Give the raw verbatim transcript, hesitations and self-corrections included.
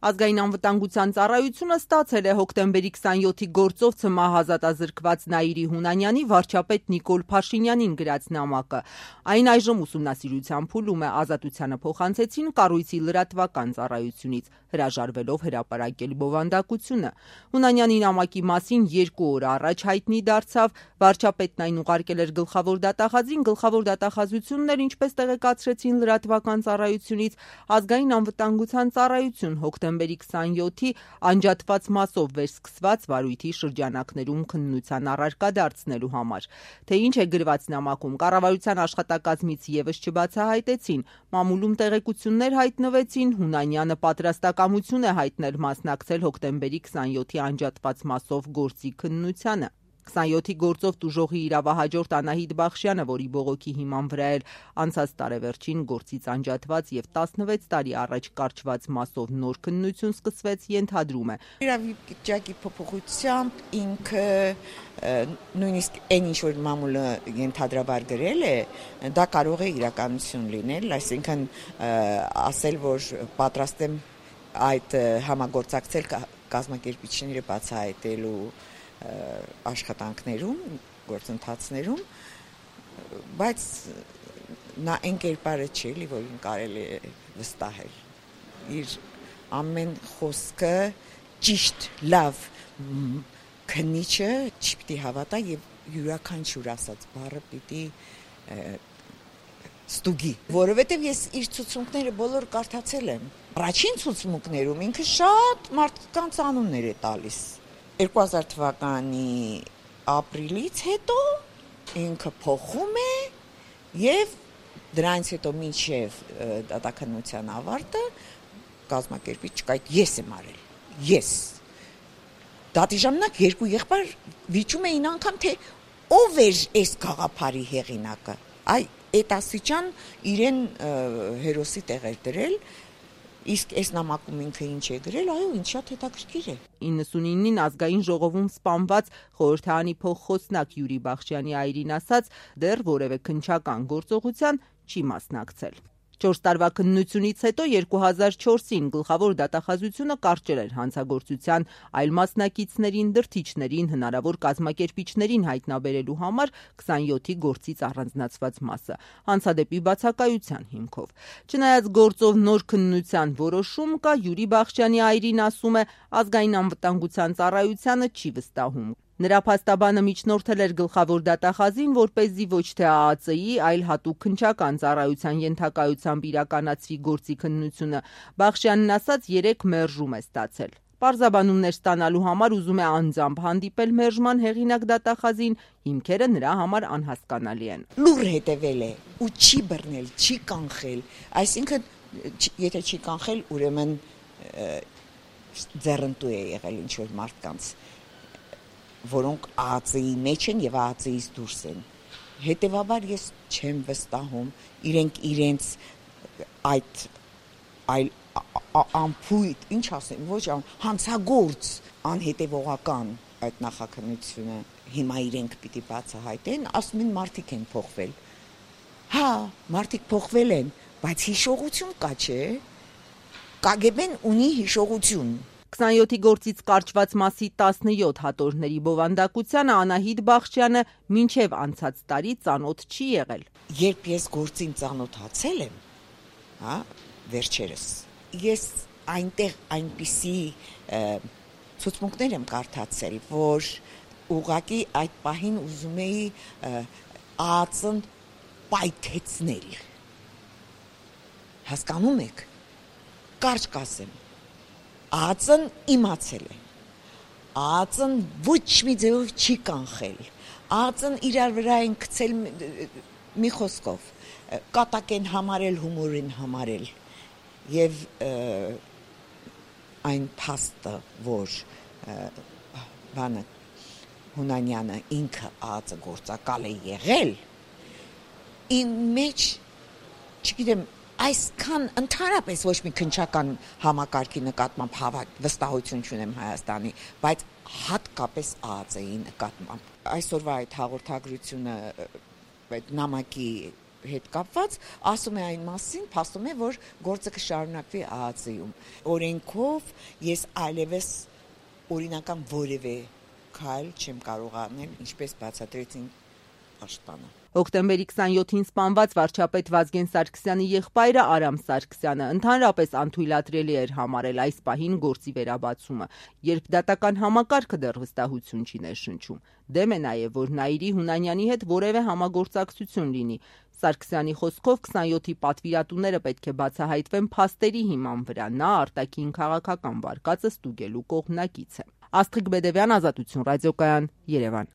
Ազգային անվտանգության ծառայությունը ստացել է հոկտեմբերի քսանյոթի գործով ՑՄԱ ազատազրկված Նաիրի Հունանյանի վարչապետ Նիկոլ Փաշինյանին գրած նամակը։ Այն այժմ ուսումնասիրության փուլում է, ազատությանը փոխանցեցին կառույցի լրատվական ծառայությունից, հրաժարվելով հրապարակել բովանդակությունը։ Հունանյանի նամակի մասին երկու օր առաջ հայտնի դարձավ, վարչապետն այն ուղարկել էր գլխավոր դատախազին, գլխավոր դատախազությունն էր, ինչպես տեղեկացրեցին լրատվական ծառայությունից, ազգային անվտանգության ծառայություն հոկտեմբերի քսանյոթի անջատված մասով վերսկսված վարույթի շրջանակներում քննության առարկա դարձնելու համար։ Թե ինչ է գրված նամակում, կառավարության աշխատակազմից ևս չբացահայտեցին։ Մամուլում տեղեկություններ հայտնվեցին, Հունանյանը պատրաստակամություն է հայտնել մասնակցել հոկտեմբերի քսանյոթի անջատված մասով գործի քննությանը։ քսանյոթի գործով տուժողի իրավահաջորդ Անահիտ Բախշյանը, որի բողոքի հիման վրա էր անցած տարեվերջին գործից անջատված եւ տասնվեց տարի առաջ կարճված մասով նոր քննություն սկսվեց, ենթադրում է. Իրավիճակի փոփոխությամբ ինքը նույնիսկ այն ինչ որ մամուլը ենթադրաբար գրել է, դա կարող է իրականություն լինել, այսինքն ասել, որ պատրաստ եմ այդ համագործակցել կազմակերպիչները բացահայտելու աշխատանքներում, գործընթացներում, բայց նա այն կերպարը չէ, որին կարելի է վստահել։ Իր ամեն խոսքը ճիշտ, լավ քննիչը չպիտի հավատա եւ յուրաքանչյուր ասած բառը պիտի ստուգի, որովհետեւ ես իր ցուցմունքները բոլոր կարդացել եմ։ Առաջին ցուցմունքներում ինքը շատ մարդկանց անուններ է տալիս։ երկու հազար թվականի ապրիլից հետո ինքը փոխում է եւ դրանից հետո մինչեւ դատաքննության ավարտը կազմակերպիչ չկա, ես եմ արել, ես։ Դատի ժամանակ երկու եղբայր վիճում էին անգամ, թե ով էր այս գաղափարի հեղինակը։ Այ այդ աստիճան իրեն հերոսի տեղ էր դրել, իսկ այս նամակում ինքը ինչ է գրել, այո, ինչ շատ հետաքրքիր է։ իննսունինին ազգային ժողովում սպանված խորհրդարանի փոխխոսնակ Յուրի Բախշյանի այրին ասաց, դեռ որևէ քննչական գործողության չի մասնակցել։ Չորս տարվա քննությունից հետո երկու հազար չորսին գլխավոր դատախազությունը կարճել էր հանցագործության այլ մասնակիցներին, դրդիչներին, հնարավոր կազմակերպիչներին հայտնաբերելու համար քսանյոթի գործից առանձնացված մասը, հանցադեպի բացակայության հիմքով։ Չնայած գործով նոր քննության որոշում կա, Յուրի Բախշյանի այրին ասում է, ազգային անվտանգության ծառայությանը չի վստահում։ Նրա փաստաբանը միջնորդել էր գլխավոր դատախազին, որպեսզի ոչ թե ԱԱԾ-ի, այլ հատուկ քննչական ծառայության ենթակայությամբ իրականացվի գործի քննությունը։ Բախշյանն ասաց, երեք մերժում է ստացել։ Պարզաբանումներ ստանալու համար ուզում է անձամբ հանդիպել մերժման հեղինակ դատախազին, հիմքերը նրա համար անհասկանալի են։ Լուր հետևել է ու չի բռնել, չի կանխել, այսինքն եթե չի կանխել, ուրեմն ձեռնտու է եղել ինչ որ մարդկանց, որոնք ԱԱԾ-ի մեջ են եւ ԱԱԾ-ից դուրս են։ Հետևաբար ես չեմ վստահում իրենք իրենց այդ այլ ամփույթ, ինչ ասեմ, ոչ հանցագործ, անհետևողական այդ նախաքննությունը հիմա իրենք պիտի բացահայտեն, ասում են մարդիկ են փոխվել։ Հա, մարդիկ փոխվել են, բայց հիշողություն կա, չէ՞։ կագեբեն ունի հիշողություն։ քսանյոթի գործից կարճված մասի տասնյոթ հատորների բովանդակությանը Անահիտ Բախշյանը մինչև անցած տարի ծանոթ չի եղել։ Երբ ես գործին ծանոթացել եմ, հա, վերջերս, ես այնտեղ այնպիսի ցուցմունքներ եմ կարդացել, որ ուղղակի այդ պահին ուզում էի ԱԱԾ-ն պայթեցնել։ Հասկանում եք, կարճ կասեմ, ԱԱԾ-ն իմացել է, ԱԱԾ-ն ոչ մի ձևով չի կանխել, ԱԱԾ-ն իրար վրա են գցել մի խոսքով, կատակ են համարել, հումոր են համարել, եւ այն փաստը, որ բանը Հունանյանը ինքը ԱԱԾ գործակալ է եղել, իմ մեջ, չգիտեմ, այսքան ընդհանրապես ոչ մի քննչական համակարգի նկատմամբ հավատ վստահություն չունեմ Հայաստանի, բայց հատկապես ԱԱԾ-ի նկատմամբ։ Այսօրվա այդ հաղորդագրությունը այդ նամակի հետ կապված ասում է այն մասին, փաստում է, որ գործը կշարունակվի ԱԱԾ-ում։ Օրենքով ես այլևս օրինական որևէ քայլ չեմ կարող անել, ինչպես բացատրեցին Աշտանը։ Հոկտեմբերի քսանյոթին սպանված վարչապետ Վազգեն Սարգսյանի եղբայրը Արամ Սարգսյանը ընդհանրապես անթույլատրելի էր համարել այս պահին գործի վերաբացումը, երբ դատական համակարգը դեռ վստահություն չի ներշնչում։ Դեմ է նաև, որ Նայիրի Հունանյանի հետ որևէ համագործակցություն լինի։ Սարգսյանի խոսքով քսանյոթի պատվիրատուները պետք է բացահայտվեն փաստերի հիման վրա, նա արտաքին քաղաքական վարկածը ստուգելու կողմնակից է։ Աստղիկ Բեդևյան, Ազատություն ռադիոկայան, Երևան։